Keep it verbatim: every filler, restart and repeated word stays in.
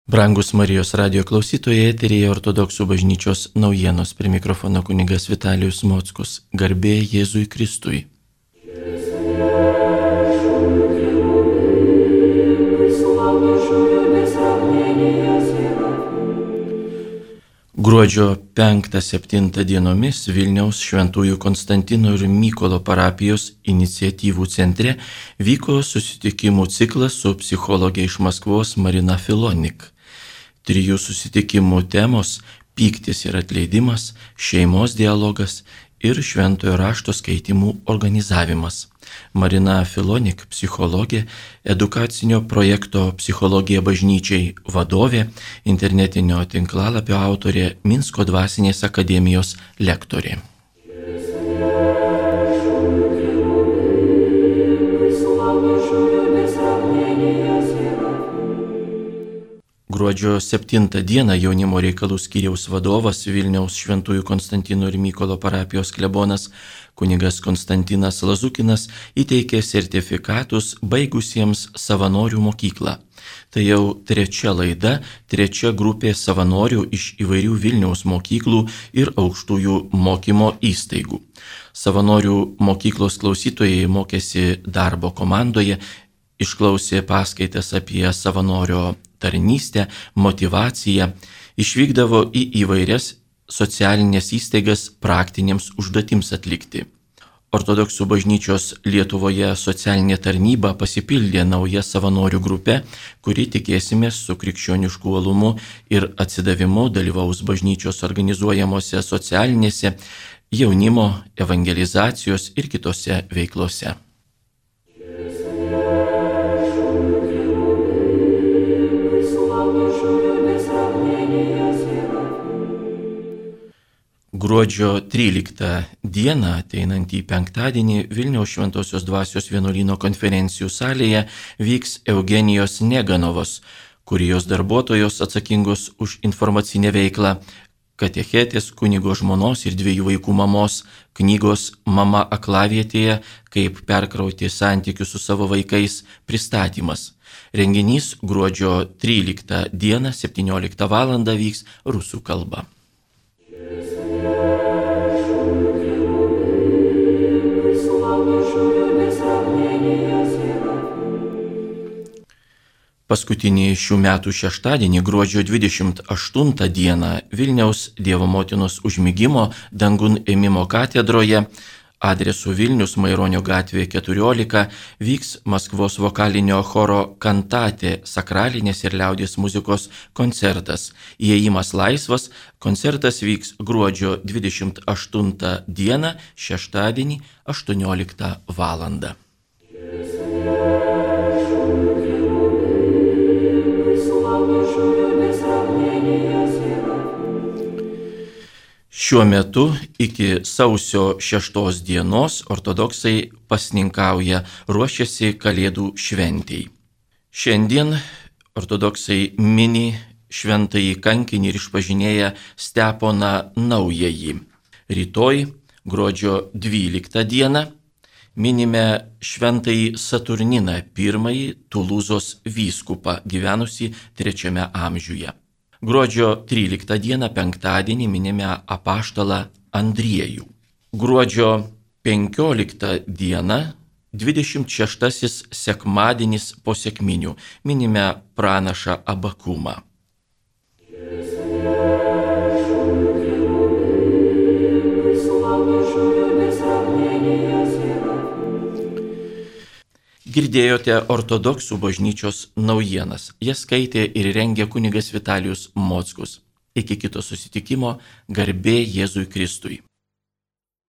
Brangus Marijos radio klausytojai, eteryje Ortodoksų bažnyčios naujienos, prie mikrofono kunigas Vitalijus Mockus. Garbė Jėzui Kristui. Gruodžio penktą septintą dienomis Vilniaus Šventųjų Konstantino ir Mykolo parapijos iniciatyvų centre vyko susitikimų ciklas su psichologė iš Maskvos Marina Filonik. Trijų susitikimų temos – pyktis ir atleidimas, šeimos dialogas ir šventojo rašto skaitimų organizavimas. Marina Filonik, psichologė, edukacinio projekto Psichologija bažnyčiai vadovė, internetinio tinklalapio autorė, Minsko dvasinės akademijos lektorė. Gruodžio septintą dieną jaunimo reikalų skyriaus vadovas Vilniaus Šventųjų Konstantino ir Mykolo parapijos klebonas kunigas Konstantinas Lazukinas įteikė sertifikatus baigusiems savanorių mokyklą. Tai jau trečia laida, trečia grupė savanorių iš įvairių Vilniaus mokyklų ir aukštųjų mokymo įstaigų. Savanorių mokyklos klausytojai mokėsi darbo komandoje, išklausė paskaitas apie savanorio tarnystę, motyvaciją, išvykdavo į įvairias socialinės įstaigas praktinėms užduotims atlikti. Ortodoksų bažnyčios Lietuvoje socialinė tarnyba pasipildė nauja savanorių grupė, kuri tikėsimės su krikščionišku uolumu ir atsidavimu dalyvaus bažnyčios organizuojamose socialinėse, jaunimo, evangelizacijos ir kitose veiklose. Gruodžio tryliktą dieną, ateinantį penktadienį, Vilniaus Šventosios dvasios vienuolyno konferencijų salėje vyks Eugenijos Neganovos, kurijos darbuotojos atsakingos už informacinę veiklą, katechetės kunigo žmonos ir dviejų vaikų mamos knygos Mama aklavietėje, kaip perkrauti santykius su savo vaikais pristatymas. Renginys gruodžio tryliktą dieną septynioliktą valandą vyks rusų kalba. Paskutinį šių metų šeštadienį, gruodžio dvidešimt aštuntą dieną, Vilniaus Dievo motinos užmigimo dangun ėmimo katedroje, adresu Vilnius Maironio gatvė keturiolika, vyks Maskvos vokalinio choro Kantate sakralinės ir liaudies muzikos koncertas. Įėjimas laisvas, koncertas vyks gruodžio dvidešimt aštuntą dieną, šeštadienį, aštuonioliktą valandą. Šiuo metu iki sausio šeštos dienos ortodoksai pasninkauja, ruošiasi Kalėdų šventei. Šiandien ortodoksai mini šventąjį kankinį ir išpažinėją Steponą Naująjį. Rytoj, gruodžio dvyliktą dieną, minime šventąjį Saturniną, pirmąjį Tulūzos vyskupą, gyvenusį trečiame amžiuje. Gruodžio tryliktą dieną, penktadienį, minime apaštalą Andriejų. Gruodžio penkioliktą dieną, dvidešimt šeštasis sekmadienis po sekminių, minime pranašą Abakumą. Girdėjote Ortodoksų bažnyčios naujienas. Jas skaitė ir rengė kunigas Vitalijus Mockus. Iki kito susitikimo, garbė Jėzui Kristui.